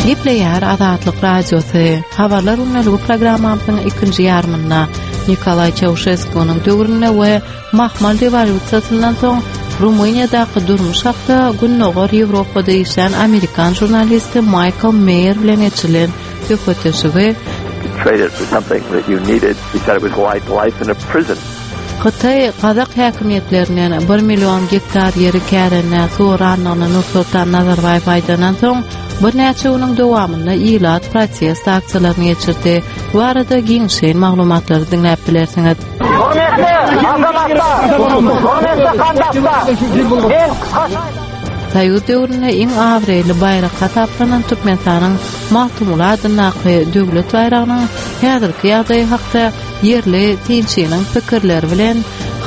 Gepleýär Azatlyk Radiosy. Habarlar gündeligi programmamyzyň ikinji ýarymynda Nikolaý Çauşeskunyň döwründe we Mahmal rewolýusiýasyndan soň Rumyniýadaky durmuş hakda Gündogar Ýewropada işlän amerikan žurnalisti Maýkl Meýer bilen geçirilen söhbetdeşligi Hytaý gazak häkimiýetlerinden bir million gektar ýeri kärendä sorandygyny Nursultan Nazarbaýew aýdandan soň, birnäçe günüň dowamynda ilat protest aksiýalaryny geçirdi. Bu barada giňişleýin maglumatlary diňläp bilersiňiz. Hormatly azamatlar! Hormatly kandaslar! Men Soýuz döwründe iň abraýly baýrak hasaplanan Türkmenistanyň Magtymguly adyndaky Döwlet baýragynyň häzirki ýagdaýy hakda ýerli synçynyň pikirleri bilen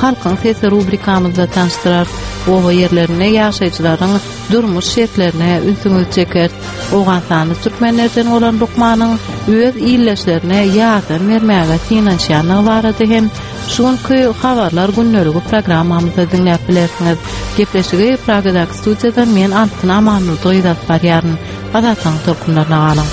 Halkyň sesi rubrikamyzda tanyşdyrarys. Oba ýerlerinde ýaşaýjylaryň durmuş şertlerine ünsüňizi çekeris. Owganystanly türkmenlerden bolan lukmanyň öz ildeşlerine ýardam bermäge synanyşýandygy barada hem şu günki Habarlar gündeligi programmamyzda diňläp bilersiňiz. Gepleşigi Pragadaky studiýadan men Altyn Amanmurdy gyz alyp barýaryn. Azatlygyň tolkunlaryna galyň.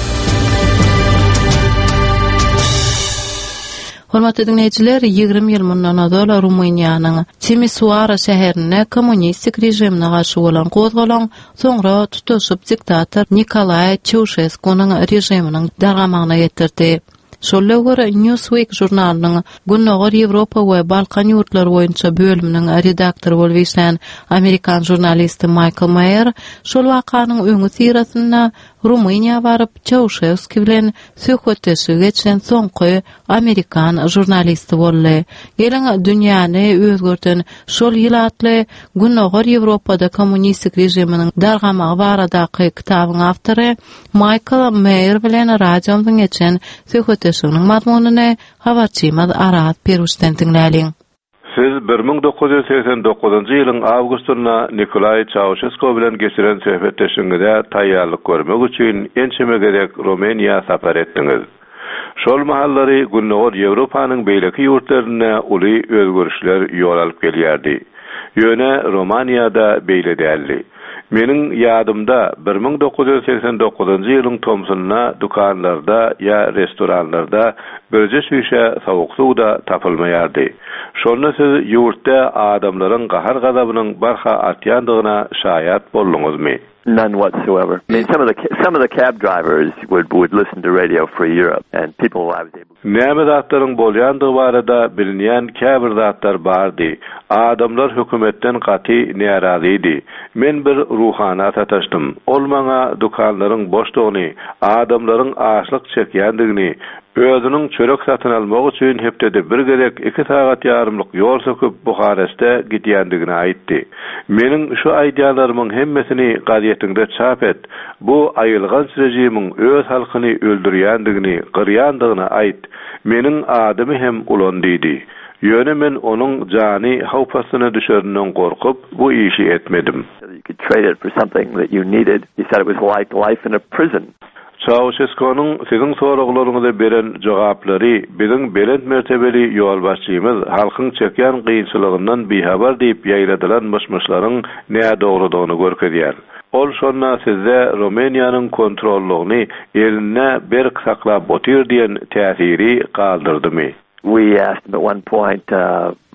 Hormatly diňleýjiler, 20 ýyl mundan ozal Rumyniýanyň Timisoara şäherinde kommunistik režimine garşy bolan gozgalaň soňra tutaşyp diktator Nikolaý Çauşeskunyň režiminiň dargamagyna getirdi. Şol döwür Newsweek žurnalynyň Gündogar Ýewropa we Balkan ýurtlary boýunça bölüminiň redaktory bolup işlän amerikan žurnalisti Maýkl Maýer şol wakanyň öňüsyrasynda Rumyniýa baryp, Çauşewski bilen söhbetdeşligi geçiren soňky amerikan žurnalisti boldy. Geliň, dünýäni özgerden şol ýyl atly Gündogar Ýewropada kommunistik režiminiň dargamagy baradaky kitabyň awtory Maýkl Meýer bilen radiomyzyň geçen söhbetdeşliginiň mazmunyny habarçymyz Araz Peruşden diňläliň. Siz 1989-njy ýylyň awgustynda Nikolaý Çauşesko bilen geçiren söhbetdeşligiňize taýýarlyk görmek üçin ençeme gezek Rumyniýa sapar etdiňiz. Şol mahallary Gündogar Ýewropanyň beýleki ýurtlarynda uly özgerişler ýol alyp gelýärdi. Ýöne Romaniýada beýle däldi. Meniň ýadymda, 1989-njy ýylyň tomsunda dükanlarda ýa restoranlarda birje çüýşe sowuk suw-da tapylmaýardy. Şonda siz ýurtda adamlaryň gahar-gazabynyň barha artýandygyna şaýat bolduňyzmy? None whatsoever. I mean some of the some of the cab drivers would would listen to Radio Free Europe and people I was able Näme zatlaryň bolýandygy barada bilinýän käbir zatlar bardy. Adamlar hökümetden gaty närazydy. Men bir ruhana sataşdym. Ol maňa dükanlaryň boşdugyny, adamlaryň açlyk çekýändigini, özüniň çörek satyn almak üçin hepdede bir gezek iki sagat ýarymlyk ýol söküp Buhareste gidýändigini aýtdy. Meniň şu aýdýanlarymyň hemmesini gazetiňde çap et. Bu aýylganç režimiň öz halkyny öldürýändigini, gyrýandygyny aýt. Meniň adymy hem ulan diýdi. Ýöne men onuň jany howp astyna düşerinden gorkup, bu işi etmedim. Çauşeskonyň siziň soraglaryňyza beren jogaplary biziň belent mertebeli ýolbaşçymyz halkyň çekýän kynçylygyndan bihabar diýip ýaýradylan myş-myşlaryň nädogrudygyny görkezýär. Ol şonda sizde Rumyniýanyň kontrollygyny elinde berk saklap otyr diýen täsiri galdyrdymy? We asked him at one point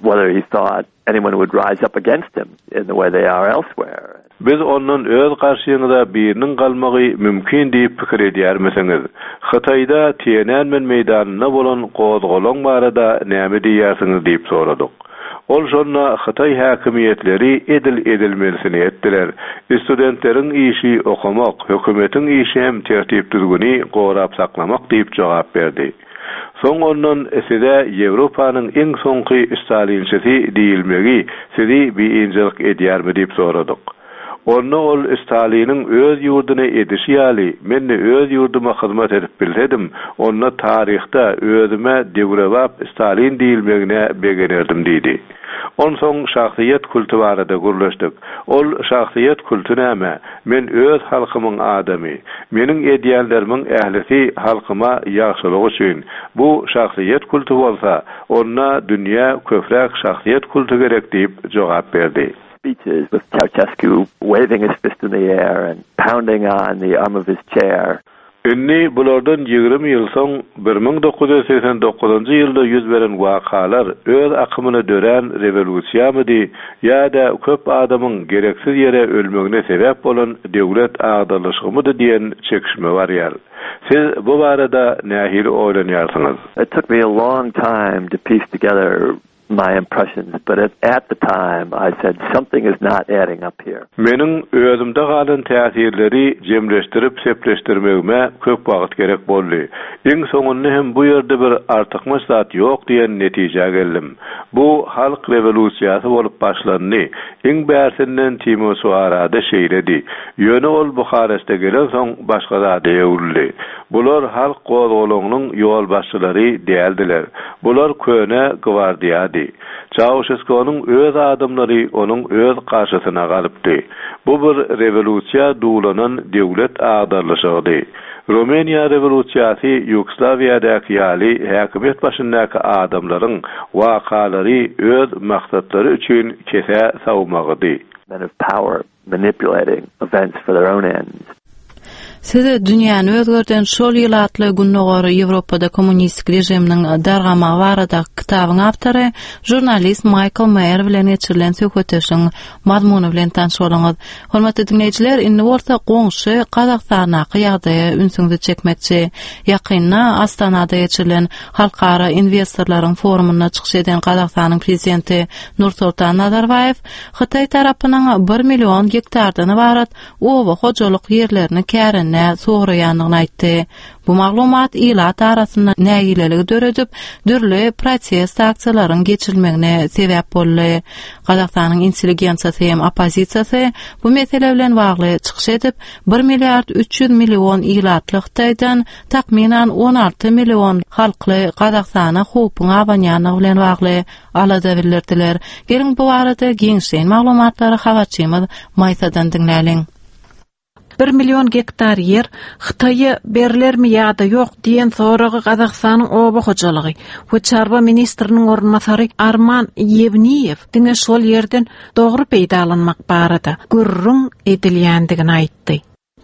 whether he thought anyone would rise up against him in the way they are elsewhere. Biz ondan öz garşyňyza biriniň galmagy mümkin diýip pikir edýärmisiňiz? Hytaýda Tienanmen meýdanynda bolan gozgalaň barada näme diýýärsiňiz diýip soradyk. Ol şonda hytaý häkimiýetleri edil edilmelisini etdiler. Studentleriň işi okamak, hökümetiň işi hem tertip-düzgüni gorap saklamak diýip jogap berdi. Soň ondan size Ýewropanyň iň soňky stalinçisi diýilmegi sizi biynjalyk edýärmi diýip soradyk. Onda ol Staliniň öz ýurduna edişi ýaly men-de öz ýurduma hyzmat edip bilsedim, onda taryhda özüme döwrebap Stalin diýilmegine begenerdim diýdi. Onsoň şahsyýet kulty barada gürleşdik. Ol şahsyýet kulty näme? Men öz halkymyň adamy. Meniň edýänlerimiň ählisi halkyma ýagşylyk üçin. Bu şahsyýet kulty bolsa, onda dünýä köpräk şahsyýet kulty gerek diýip jogap berdi. Speeches with Ceausescu waving his fist in the air and pounding on the arm of his chair. Indi bulardan 20 ýyl soň 1989-njy ýylda ýüz beren wakalar öz akymyna dörän rewolýusiýamydy ýa-da köp adamyň gereksiz ýere ölmegine sebäp bolan döwlet agdarlyşygymydy diýen çekişme barýar. Siz bu barada nähili oýlanýarsyňyz? It took me a long time to piece together my impressions, but at, at the time I said something is not adding up here. Meniň özümde galan täsirleri jemleşdirip sepleşdirmegime köp wagt gerek boldy. Iň soňunda hem bu ýerde bir artykmaç zat ýok diýen netijä geldim. Bu halk rewolýusiýasy bolup başlandy. Iň bärsinden Timisoarada şeýledi. Ýöne ol Buhareste gelensoň başga zada öwrüldi. Bular halk gozgalaňynyň ýolbaşçylary däldiler. Bular köne gwardiýady. Çauşeskonyň öz adamlary onuň öz garşysyna galypdy. Bu bir rewolýusiýa duwlanan döwlet agdarlyşygydy. Rumyniýa rewolýusiýasy Ýugoslawiýadaky ýaly häkimiýet başyndaky adamlaryň wakalary öz maksatlary üçin kesä sawmagydy. Men of power manipulating events for their own ends. Siz dünýäni özgerden şol ýyl atly Gündogar Ýewropada kommunistik režiminiň dargamagy baradaky kitabyň awtory, žurnalist Maýkl Meýer bilen geçirilen söhbetdeşligiň mazmuny bilen tanyş boluňyz. Hormatly diňleýjiler, indi bolsa goňşy Gazagystandaky ýagdaýa ünsüňizi çekmekçi. Ýakynda Astanada geçirilen halkara inwestorlaryň forumynda çykyş eden Gazagystanyň prezidenti Nursultan Nazarbaýew Hytaý tarapynyň bir million gektardan ybarat oba hojalyk ýerlerini kärendä soraýandygyny aýtdy. Bu maglumat ilat arasynda nägileligi döredip, dürli protest aksiýalaryň geçirilmegine sebäp boldy. Gazagystanyň intelligensiýasy hem oppozisiýasy bu mesele bilen bagly çykyş edip, bir milliard 300 million ilatly Hytaýdan takmynan 16 million halkly Gazagystana howpuň abanýandygy bilen bagly alada bildirdiler. Geliň bu barada giňişleýin maglumatlary habarçymyz Maýsadan diňläliň. Bir million gektar ýer Hytaýa berlermi ýa-da ýok diýen soragy Gazagystanyň oba hojalygy we çarwa ministriniň orunbasary Arman Ýewniýew diňe şol ýerden dogry peýdalanmak barada gürrüň edilýändigini aýtdy.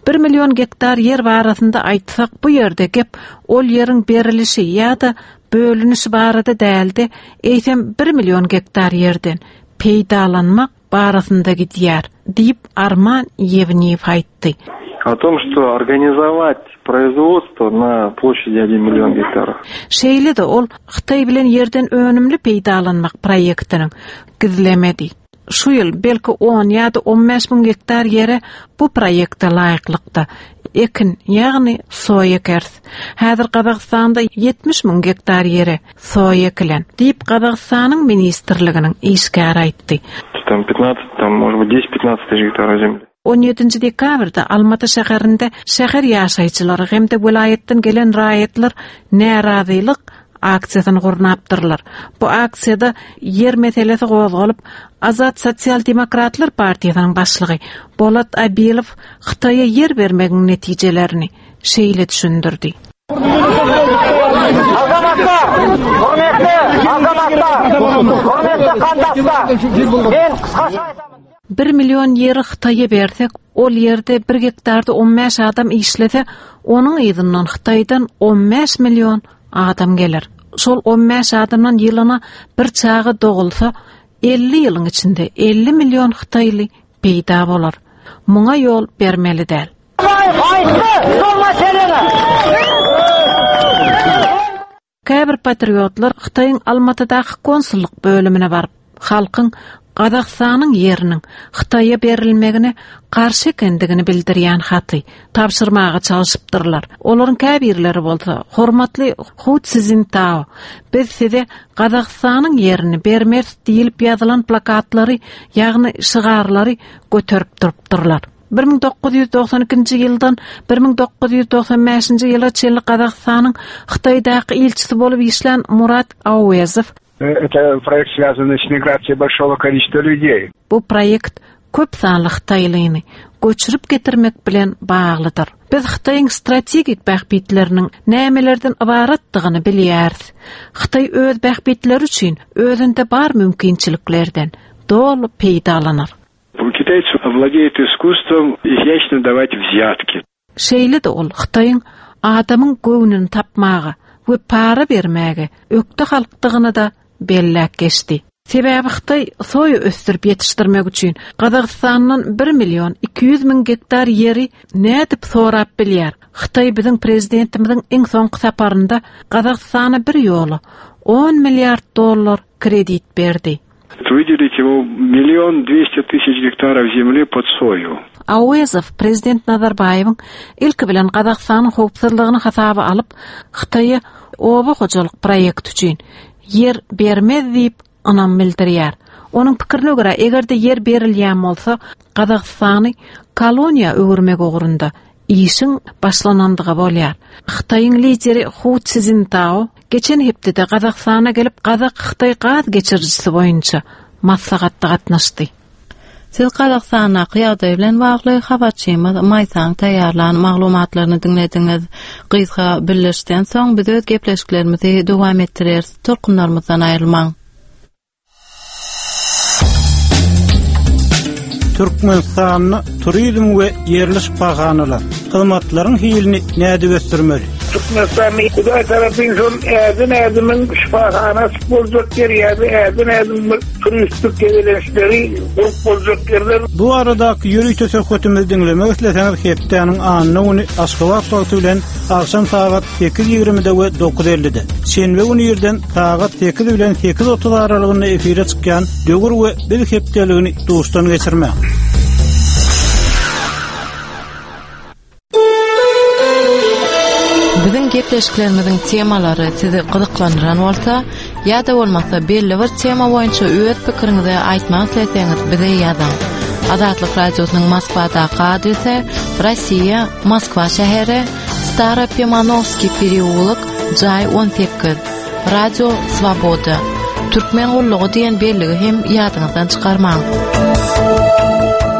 Bir million gektar ýer barasynda aýtsak, bu ýerde gep ol ýeriň berilişi ýa-da bölünişi barada däl-de, eýsem bir million gektar ýerden peýdalanmak barasynda gidýär, diýip, Arman Ýewniýew aýtdy. O tom, что organizować производство na ploşadi один million gektarов. Şeýle-de ol Hytaý bilen ýerden önümli peýdalanmak proýektiniň gizlemedi. Şu ýyl belki on ýa-da on bäş müň gektar ýere bu proýekte laýyklykda ekin, ýagny soýa ekeris. Häzir Gazagystanda 70 müň gektar ýere soýa ekilen, diýip, Gazagystanyň ministrliginiň işgäri aýtdy. Tam 15, tam, может быть, 10-15 тысяч гектаров земли. On ýedinji dekabrda Almaty şäherinde şäher ýaşaýjylary hem-de welaýatdan gelen raýatlar närazylyk aksiýasyny gurnapdyrlar. Bu aksiýada ýer meselesi gozgalyp, Azat sosial-demokratlar partiýasynyň başlygy Bolat Abilow Hytaýa ýer bermegiň netijelerini şeýle düşündirdi. Azamatlar, hormatly azamatlar, hormatly kandaslar, men gysgaça aýdaman. Bir million ýeri Hytaýa bersek, ol ýerde bir gektarda on bäş adam işlese, onuň yzyndan Hytaýdan on bäş million adam geler. Şol on bäş adamdan ýylyna bir çaga dogulsa, 50 ýylyň içinde 50 million hytaýly peýda bolar. Muňa ýol bermeli däl. Aýtdy, şol meseleni. Käbir patriotlar Hytaýyň Almatydaky konsullyk bölümine baryp, halkyň Gazagystanyň ýeriniň Hytaýa berilmegine garşy ekendigini bildirýän haty tabşyrmaga çalşypdyrlar. Olaryň käbirleri bolsa, Hormatly Hu Szintao, biz size Gazagystanyň ýerini bermeris diýlip ýazylan plakatlary, ýagny şygarlary göterip durupdyrlar. 1992-nji ýyldan 1995-nji ýyla çenli Gazagystanyň Hytaýdaky ilçisi bolup işlän Murat Auezow Это proýekt связанный с migrasiýay большого количества людей. Bu proýekt köp sanly hytaýlyny göçürip getirmek bilen baglydyr. Biz Hytaýyň strategik bähbitleriniň nämelerden ybaratdygyny bilýäris. Hytaý öz bähbitleri üçin özünde bar mümkinçiliklerden doly peýdalanar. Китайцы владеют искусством изящно давать взятки. Şeýle-de ol Hytaýyň adamyň göwnüni tapmaga we para bermäge ökde halkdygyny-da belläp geçdi. Sebäbi Hytaý soýa ösdürip ýetişdirmek üçin Gazagystandan bir million 200 müň gektar ýeri nädip sorap bilýär? Hytaý biziň prezidentimiziň iň soňky saparynda Gazagystana bir ýola on milliard dollar kredit berdi. Выделить ему million 200 тысяч гектаров земли под сою. Auezow prezident Nazarbaýewiň ilki bilen Gazagystanyň howpsuzlygyny hasaba alyp, Hytaýa oba hojalyk proýekti üçin ýer bermez diýip ynam bildirýär. Onuň pikirine görä, eger-de ýer berilýän bolsa, Gazagystany koloniýa öwürmek ugrunda işiň başlanandygy bolýar. Hytaýyň lideri Hu Szintao geçen hepdede Gazagystana gelip, gazak-hytaý gaz geçirijisi boýunça maslahatda gatnaşdy. Siz Gazagystandaky ýagdaý bilen bagly habarçymyz Maýsaň taýýarlan maglumatlaryny diňlediňiz. Gysga bildirişden soň biz öz gepleşiklerimizi dowam etdireris. Tolkunlarymyzdan aýrylmaň. Türkmenistanda turizm we ýerli şypahanalar, hyzmatlaryň hilini nädip ösdürmeli? Türkmenistanda Hudaý tarapyn şol ädim ädimiň şypahana açyp boljak ýer ýa-da ädim ädim bir turistik gezelençleri gurup boljak ýerler. Bu baradaky ýörite söhbetimizi diňlemek isleseňiz hepdäniň anna güni Aşgabat wagty bilen agşam sagat sekiz ýigrimide we dokuz ellide, şenbe güni irden sagat sekiz bilen 8.30 aralygynda efire çykýan Döwür we biz hepdeligini duşdan geçirmäň. Biziň gepleşiklerimiziň temalary sizi gyzyklandyran bolsa, ýa-da bolmasa belli bir tema boýunça öz pikiriňizi aýtmak isleseňiz bize ýazyň. Azatlyk Radiosynyň Moskwadaky adresi Rossiýa, Moskwa şäheri, Staropimanowskiý pereulok, jaý 18. Radio Swoboda. Türkmen gullugy diýen belligi hem ýadyňyzdan çykarmaň.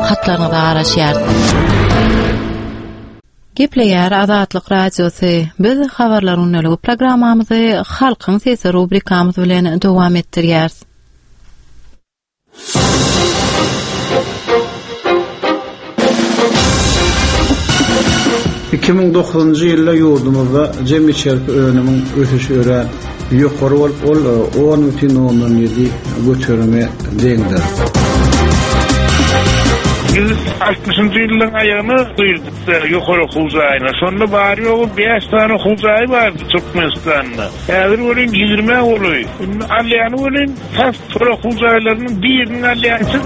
Hatlaryňyza garaşýarys. Gepleýär Azatlyk Radiosy. Biz Habarlar gündeligi programmamyzy Halkyň sesi rubrikamyz bilen dowam etdirýäris. 2009-njy ýylda ýurdumyzda jemi içerki önümiň ösüşi örän ýokary bolup, ol 10,7 göterime deňdir. Biz altmyşynjy ýyllaryň aýagyna girdik ýokary okuw jaýyna. Şonda bary-ýogy bäş sany okuw jaýy bardy Türkmenistanda. Häzir welin ýigrimä golaý. Indi alýany welin tas Şol okuw jaýlarynyň birini alýançy.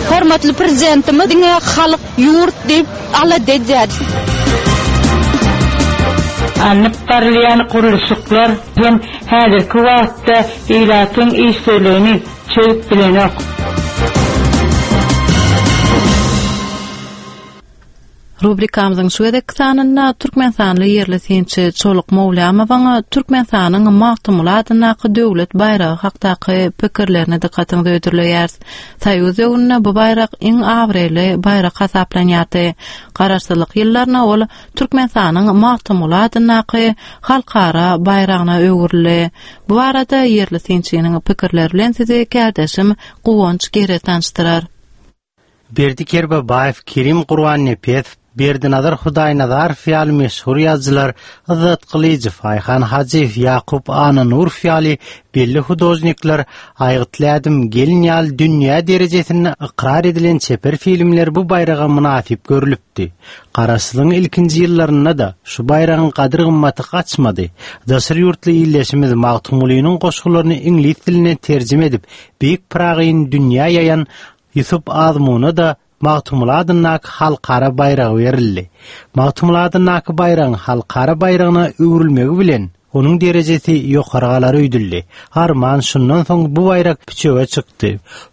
Hormatly Prezidentimiz diňe halk, ýurt diýip alada edýär. Alnyp barylýan gurluşyklar hem häzirki wagtda ilatyň işsizligini çözüp bilenok. Rubrikamyzyň şu gezekki sanynda türkmenistanly ýerli synçy Çoluk Mowlamowyň Türkmenistanyň Magtymguly adyndaky döwlet baýragy hakdaky pikirlerini dykgatyňyza hödürleýäris. Soýuz döwründe bu baýrak iň abraýly baýrak hasaplanýardy. Garaşsyzlyk ýyllarynda ol Türkmenistanyň Magtymguly adyndaky halkara baýragyna öwrüldi. Bu barada ýerli synçynyň pikirleri bilen sizi kärdeşim Guwanç Gere tanyşdyrar. Berdi Kerbabaýew, Kerim Gurbannepesow, Berdinazar Hudaýnazarow ýaly meşhur ýazyjylar, Yzzat Gylyjow, Aýhan Hajyýew, Ýakup Annanurow ýaly belli hudožnikler, Aýgytly ädim, Gelin ýaly dünýä derejesinde ykrar edilen çeper filmler bu baýraga mynasyp görlüpdi. Garaşsyzlygyň ilkinji ýyllarynda-da şu baýragyň gadyr-gymmaty gaçmady. Daşary ýurtly ildeşimiz Magtymgulynyň goşgularyny iňlis diline terjime edip, beýik Pyragyny dünýä ýaýan Ýusup Azmuna-da Magtymguly adyndaky halkara baýragy berildi. Magtymguly adyndaky baýragyň halkara baýragyna öwrülmegi bilen, onuň derejesi ýokary galar öýdüldi. Arman, şundan soň bu baýrak püçege çykdy.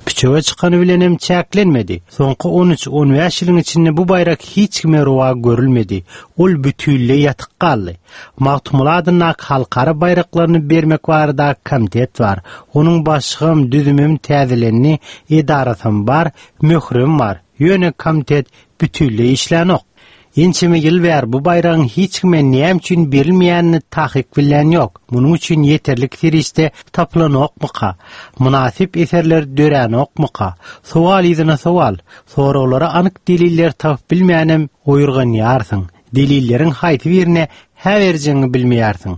Püçege çykany bilenem çäklenmedi. Soňky on üç, on bäş ýylyň içinde bu baýrak hiç kime rowa görülmedi. Ol bütinleý ýatyk galdy. Magtymguly adyndaky halkara baýraklaryny bermek baradaky komitet bar. Onuň başlygam, düzümem täzelendi, edarasam bar, möhürem bar. Ýöne komitet bütinleý işlänok. Ençeme ýyl bäri bu baýragyň hiç kime näme üçin berilmeýänini takyk bilýän ýok. Munuň üçin ýeterlik serişde tapylanokmyka? Mynasyp eserler döränokmyka? Sowal yzyna sowal. Soraglara anyk deliller tapyp bilmänem oýurganýarsyň. Delilleriň haýsy birine hä berjegiňi bilmeýärsiň.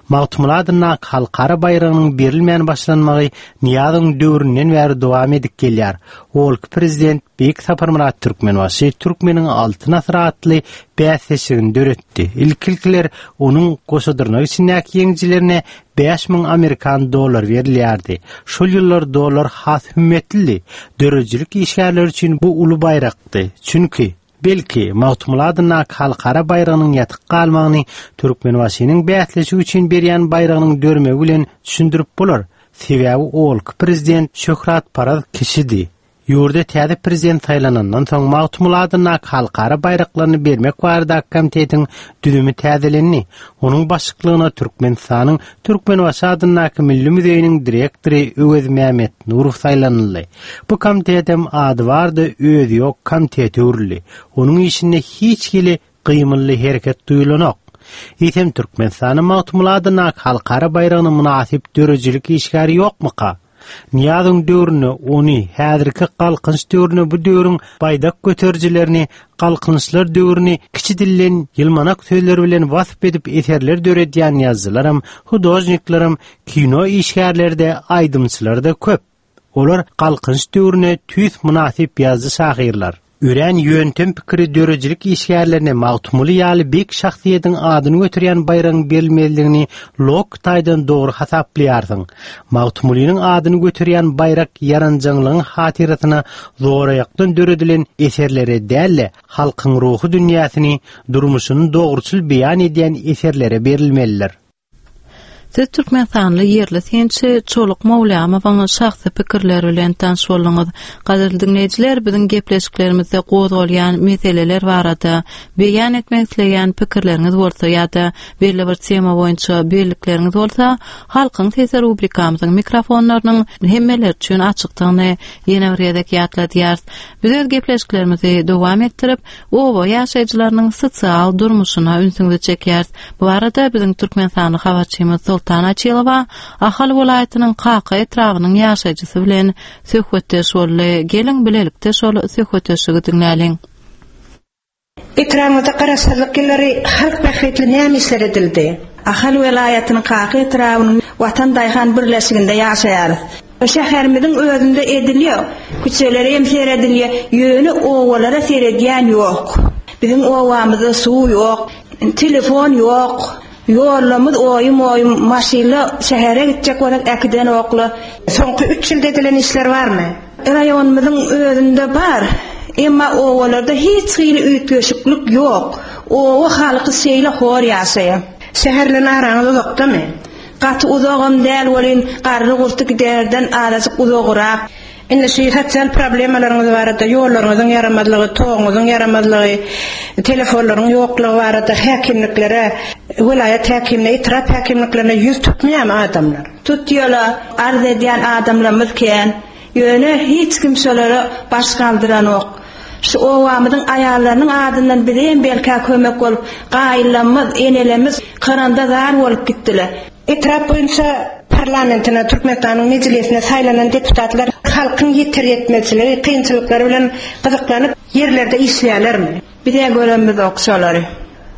Magtymguly adyndaky halkara baýragynyň berilmän başlanmagy Nyýazowyň döwründen bäri dowam edip gelýär. Owalky prezident Beýik Saparmyrat Türkmenbaşy Türkmeniň Altyn asyry atly bäsleşigini döretdi. Ilki-ilkiler onuň goşadyrnak içindäki ýeňijilerine 5000 amerikan dollary berilýärdi. Şol ýyllar dollar has hümmetlidi. Döredijilik işgärleri üçin bu uly baýrakdy. Çünki, belki, Magtymguly adyndaky halkara baýragynyň ýatyk galmagyny Türkmenbaşynyň bäsleşik üçin berýän baýragynyň dörmegi bilen düşündirip bolar. Sebäbi owalky prezident şöhratparaz kişidi. Ýurda täze prezident saýlanandan soň Magtymguly adyndaky halkara baýraklaryny bermek baradaky komitetiň düzümi täzelendi. Onuň başlyklygyna Türkmenistanyň Türkmenbaşy adyndaky Milli muzeýiniň direktory Öwez Mämmetnurow saýlanyldy. Bu komitetem ady bar-da, özi ýok komitete öwrüldi. Onuň işinde hiç hili gymylly hereket duýulanok. Eýsem Türkmenistanda Magtymguly adyndaky halkara baýragyna mynasyp döredijilik işgäri ýokmuka? Nyýazowyň döwründe ony, häzirki Galkynyş döwründe bu döwrüň baýdak göterijilerini, Galkynyşlar döwrüni kiçi dilden ýylmanak sözler bilen wasp edip eserler döredýän ýazyjylaram, hudožniklerem, kino işgärleri-de, aýdymçylar-da köp. Olar Galkynyş döwrüne tüýs mynasyp ýazyjy-şahyrlar. Örän ýöntem pikiri döredijilik işgärlerine Magtymguly ýaly beýik şahsyýetiň adyny göterýän baýragyň berilmezligini logiki taýdan dogry hasaplaýarsyň. Magtymgulynyň adyny göterýän baýrak ýaranjaňlygyň hatyrasyna zoraýakdan döredilen eserlere däl-de, halkyň ruhy dünýäsini, durmuşyny dogruçyl beýan edýän eserlere berilmelidir. Siz türkmenistanly ýerli synçy Çoluk Mowlamowyň şahsy pikirleri bilen tanyş bolduňyz. Gadyrly diňleýjiler, biziň gepleşiklerimizde gozgalýan meseleler barada beýan etmek isleýän pikirleriňiz bolsa ýa-da belli bir tema boýunça bellikleriňiz bolsa, Halkyň sesi rubrikamyzyň mikrofonlarynyň hemmeler üçin açykdygyny ýene bir gezek ýatladýarys. Biz öz gepleşiklerimizi dowam etdirip, oba ýaşaýjylarynyň sosial durmuşyna ünsüňizi çekýäris. Bu barada biziň türkmenistanly habarçymyz Soltan Açylowa Ahal welaýatynyň Kaka etrabynyň ýaşaýjysy bilen söhbetdeş boldy. Geliň, bilelikde şol söhbetdeşligi diňläliň. Etrabyňyzda Garaşsyzlyk ýyllary halk bähbitli näme işler edildi? Ahal welaýatynyň Kaka etrabynyň Watan daýhan birleşiginde ýaşaýarys. Şäherimiziň özünde edilýär, küçelere hem seredilýär, ýöne obalara seredýän ýok. Biziň obamyzda suw ýok, telefon ýok, ýollarymyz oýum-oýum, maşynla şähere gitjek bolsak äkidenoklar. Soňky üç ýylda edilen işler barmy? Raýonymyzyň özünde bar, emma obalarda hiç hili üýtgeşiklik ýok. Oba halky şeýle hor ýaşaýar. Şäher bilen araňyz uzakdamy? Gaty uzagam däl welin, garry-gurty giderden azajyk uzagrak. Indi şu sosial problemalaryňyz barada, ýollaryňyzyň ýaramazlygy, toguňyzyň ýaramazlygy, telefonlaryň ýoklugy barada häkimliklere, welaýat häkimine, etrap häkimliklerine ýüz tutmaýarmy adamlar? Tutýarlar, arz edýän adamlarymyz kän. Ýöne hiç kim şolara baş galdyranok. Şu obamyzyň aýallarynyň adyndan bize hem belkä kömek bolup, gaýynlarymyz, enelerimiz kyranda zar bolup gitdiler. Etrap boýunça parlamentine, Türkmenistanyň Mejlisine saýlanan deputatlar halkyň ýeter-ýetmezçiligi, kynçylyklary bilen gyzyklanyp, ýerlerde işleýärlermi? Biz-ä göremizok şolary.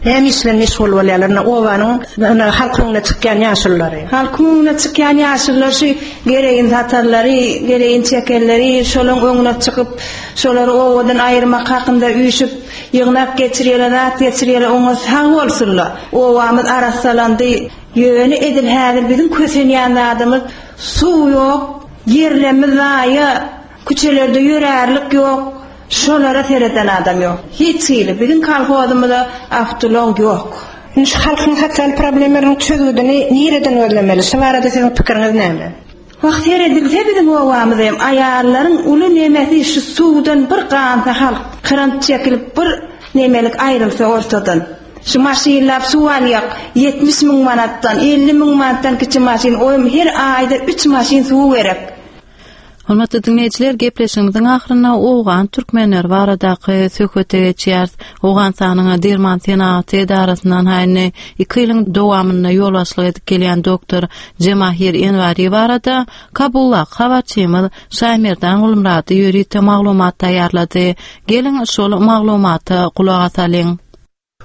Näme iş bilen meşgul bolýarlar indi obanyň indi halkyň öňüne çykýan ýaşululary? Halkyň öňüne çykýan ýaşulular şu gereýin satanlary, gereýin çekenleri şolaň öňüne çykyp, şolary obadan aýyrmak hakynda üýşüp, ýygnak geçirýärler, zat geçirýärler, oňa sag bolsunlar. Obamyz arassalandy. Ýöne edil häzir biziň kösenýän zadymyz suw ýok, ýerlerimiz zaýa, küçelerde ýörärlik ýok. Şolara sereden adam ýok. Hiç hili. Biziň kolhozymyza awtoulag ýok. Indi şu halkyň sosial problemlarynyň çözgüdini nireden gözlemeli? Şu barada siziň pikiriňiz näme? Wah seredilse biziň obamyza hem aýallaryň uly nemesi şu suwdan bir gansa halk krant çekilip bir nemelik aýrylsa ortadan. Şu maşynlap suw alýak 70 müň manatdan 50 müň manatdan kiçi maşyn oýum her aýda üç maşyn suw gerek. Hormatly diňleýjiler, gepleşigimiziň ahyrynda owgan türkmenleri baradaky söhbete geçýäris. Owganystanyň derman senagaty edarasyndan indi iki ýylyň dowamynda ýolbaşçylyk edip gelýän doktor Jemahir Enwari barada Kabuldaky habarçymyz Şaýmerdan Gulmyrady ýörite maglumat taýýarlady. Geliň, şol maglumata gulak asalyň.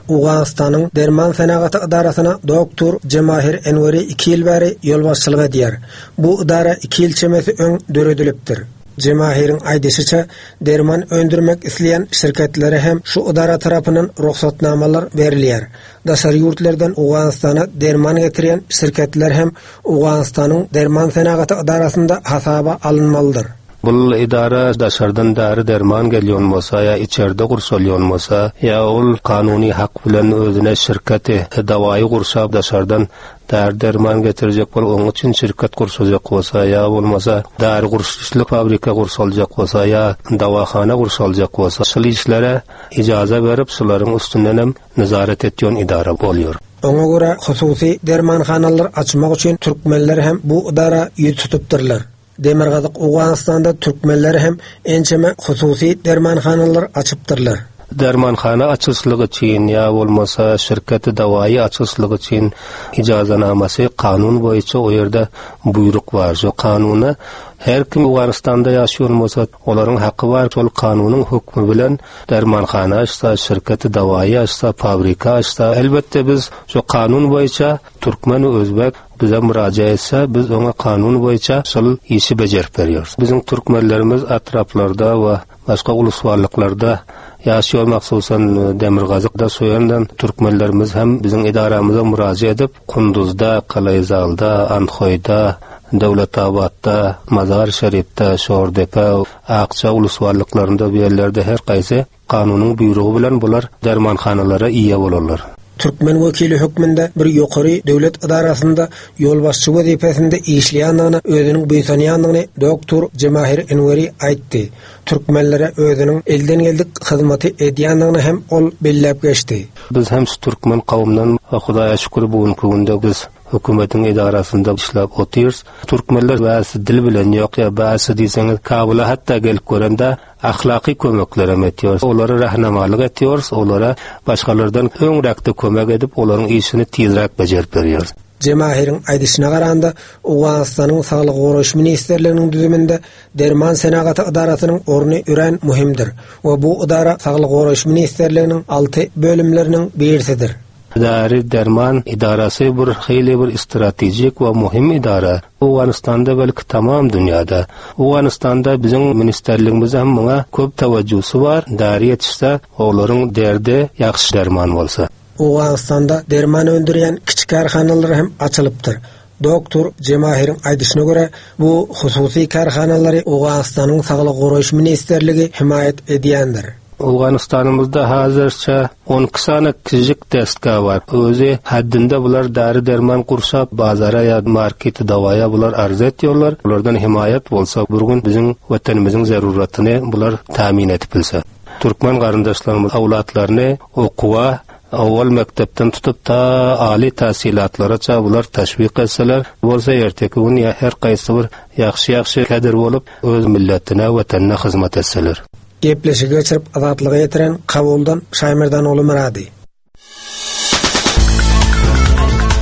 Owganystanyň Derman senagaty edarasyna doktor Jemahir Enweri iki ýyl bäri ýolbaşçylyk edýär. Bu edara iki ýyl çemesi öň döredilipdir. Jemahiriň aýdyşyça, derman öndürmek isleýän şirketlere hem şu edara tarapyndan rugsatnamalar berilýär. Daşary ýurtlardan Owganystana derman getirýän şirketler hem Owganystanyň Derman senagaty edarasynda hasaba alynmalydyr. Bul edara daşardan däri-derman gelýän bolsa ýa içerde gurşalýan bolsa, ýa ol kanuny hak bilen özüne şirketi, dawaýy gurşap daşardan däri-derman getirjek bolup oň üçin şirket gurşajak bolsa, ýa bolmasa däri gurşuşlyk fabrika gurşaljak bolsa, ýa dawahana gurşaljak bolsa, şul işlere ijaza berip şularyň üstündenem nezaret etýän edara bolýar. Oňa görä hususy dermanhanalar açmak üçin türkmenler hem bu edara ýüz tutupdyrlar. Demirgazyk Owganystanda türkmenler hem ençeme hususy dermanhanalar açypdyrlar. Dermanhana açyşlyk üçin ýa bolmasa şirketi dawaýy açyşlyk üçin ijazanamasy kanun boýunça o ýerde buýruk bar. Şo kanuna her kim Owganystanda ýaşaýan bolsa olaryň haky bar şol kanunyň hökmi bilen dermanhana açsa, şirketi dawaýy açsa, fabrika açsa elbetde biz şo kanun boýunça Türkmen we özbek bize müraja etse, biz oňa kanun boýunça şol işi bejerip berýäris. Biziň türkmenlerimiz etraplarda we başga ulusbarlyklarda ýaşaýar, mahsusan demirgazykda şo ýerden türkmenlerimiz hem biziň edaramyza müraja edip, Kunduzda, Kalaýzalda, Andhoýda, Döwletabatda, Mazar-Şeripde, Şordepe, Akja ulusbarlyklarynda bu ýerlerde her haýsy Kanunyň buýrugy bilen bular dermanhanalara eýe bolarlar. Türkmen wekili hökmünde bir ýokary döwlet edarasynda ýolbaşçy wezipesinde işleýändigine özüniň buýsanýandygyny doktor Jemahir Enweri aýtdy. Türkmenlere özüniň elden geldik hyzmaty edýändigini hem ol belläp geçdi. Biz hem şu türkmen kowumdan Hudaýa şükür bu günki günde biz hökümetiň edarasynda işläp otyrys. Türkmenler bärsi dil bilen ýok ýa bärsi diýseňiz Kabula hatda gelip görende Ahlaky kömeklerem etýäris. Olara rahnamalyk etýäris, olara başgalardan öňräkde kömek edip, olaryň işini tizräk bejerip berýäris. Jemahiriň aýdyşyna garanda, Owganystanyň Saglygy goraýyş ministrliginiň düzüminde Derman senagaty edarasynyň orny örän möhümdir we bu edara Saglygy goraýyş ministrliginiň alty bölümleriniň birisidir. Däri-derman edarasy bir hili bir strategik we möhüm edara. Owganystanda belki tamam dünýäde. Owganystanda biziň ministrligimiz hem muňa köp tewejjüsi bar. Däri ýetişse, olaryň derdi ýagşy derman bolsa. Owganystanda derman öndürýän kiçi kärhanalar hem açylypdyr. Doktor Jemahiriň aýdyşyna görä, bu hususy kärhanalary Owganystanyň Saglygy goraýyş ministrligi hemaýat edýändir. Owganystanymyzda hazirçe 12 sany kiçijik desga bar. Özi haddinde bular däri-derman gurşap bazara ýa markete dawaýa bular arz etýorlar. Bulardan hemaýat bolsa bir gün biziň watanymyzyň zeruratyny bular tämin edip bilse. Türkmen garyndaşlarymyz awlatlaryny okuwa owal mekdepden tutup ta aly tahsilatlara bular teşwik etseler bolsa erteki gün ýa her gaýsy bir ýagşy-ýagşy kadir bolup öz milletine watanyna hyzmat etseler. Gepleşigi geçirip Azatlyga ýetiren Kabuldan Şaýmerdanogly Myrady.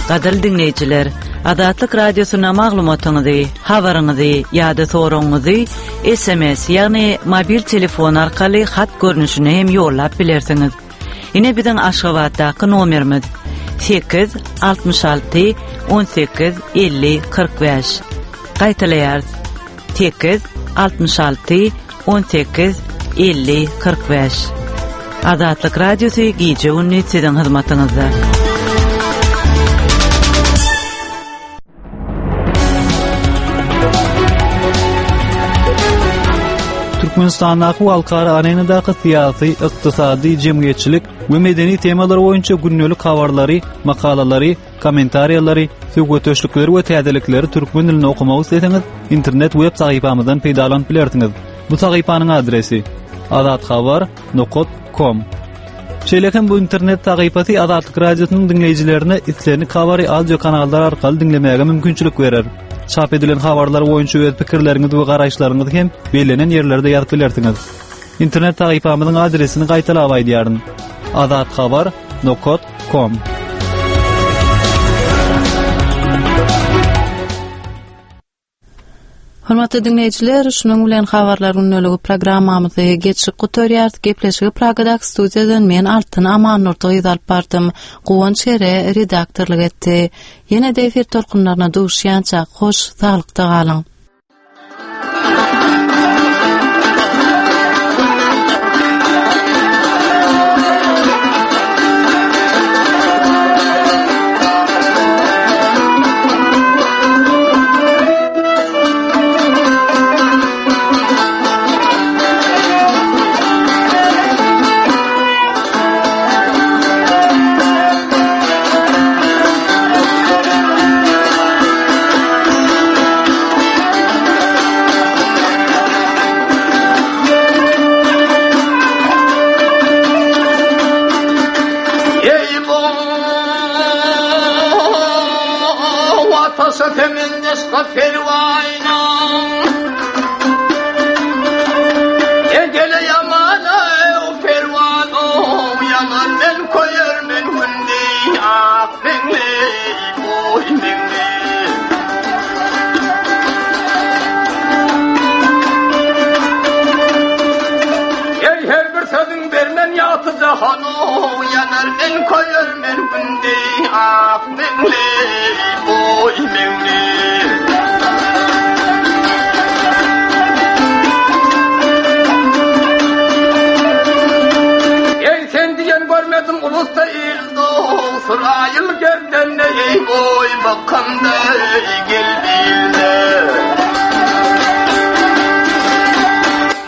Gadyrly diňleýjiler, Azatlyk Radiosyna maglumatyňyzy, habaryňyzy ýa-da soragyňyzy SMS, ýagny mobil telefon arkaly hat görnüşinde hem ýollap bilersiňiz. Ine biziň Aşgabatdaky nomerimiz 8 66 18 50 45. Gaýtalaýarys. 8 66 18 50 45. Azatlyk Radiosy gije-gündiz siziň hyzmatyňyzda. Türkmenistandaky we halkara arenadaky syýasy, ykdysady, jemgyýetçilik we medeni temalar boýunça gündelik habarlary, makalalary, kommentariýalary, söhbetdeşlikleri we täzelikleri türkmen dilinde okamak isleseňiz, internet web sahypamyzdan peýdalanyp bilersiňiz. Bu sahypanyň adresi: azathabar.com. Şeýle hem bu internet sahypasy Azatlyk Radiosynyň diňleýjilerine islendik habary audio kanallar arkaly diňlemäge mümkinçilik berer. Çap edilen habarlar boýunça öz pikirleriňizi we garaýyşlaryňyzy hem bellenen ýerlerde ýazyp bilersiňiz. Internet sahypamyzyň adresini gaýtalap aýdýaryn. azathabar.com Hormatly diňleýjiler, şunuň bilen Habarlar gündeligi programmamyzy geçip gutarýarys. Gepleşigi Pragadaky studiýadan men Altyn Amannurdy gyz alyp bardym. Guwanç Ere redaktorlyk etdi. Ýene-de efir tolkunlaryna duşýançak, hoş, saglykda galyň!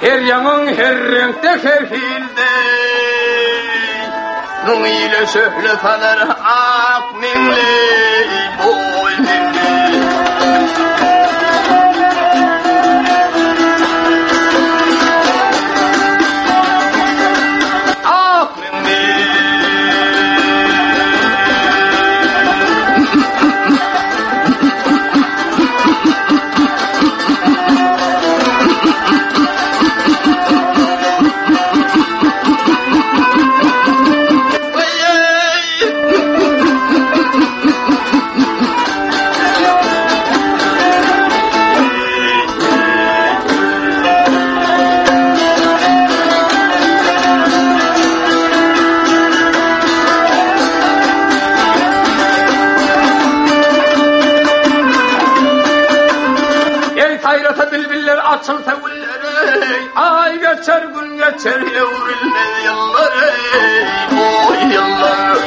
Her ýaňyň her reňkde her hilde Müň ile şöhle salar ak meňli boý meňli Ak Ey saýrasa bilbiller açylsa güller ey Ay geçer gün geçer öwrülmez ýyllar ey Oy ýyllar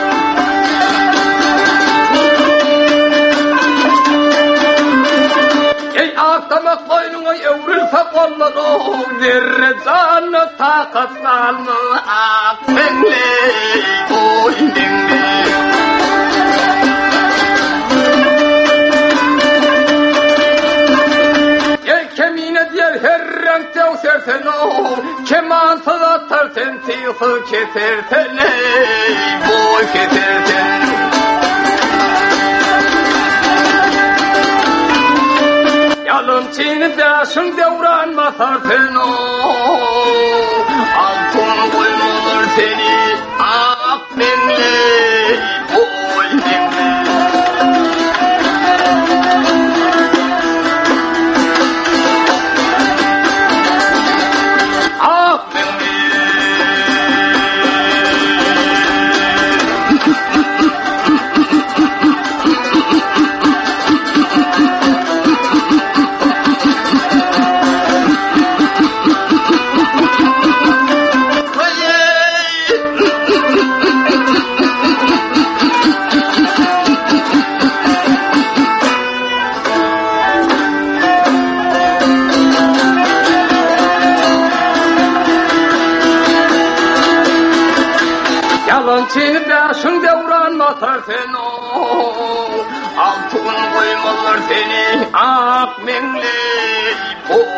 Ey ak damak boýnuňa öwrülse gollar ow Zerre janyna takat galmaz ak meňli boý meňli Ey kemine diýer her reňkde öwsersen ow Kemansyz atar sen tygsuz kesersen ey boý kesersen Ýalançyny bäşiň döwran basar sen ow Altyn goýmalar seni ak meňli boý meňli Ak meňli Ýalançyny bäşiň döwran basar sen ow Altyn goýmazlar seni ak meňli boý.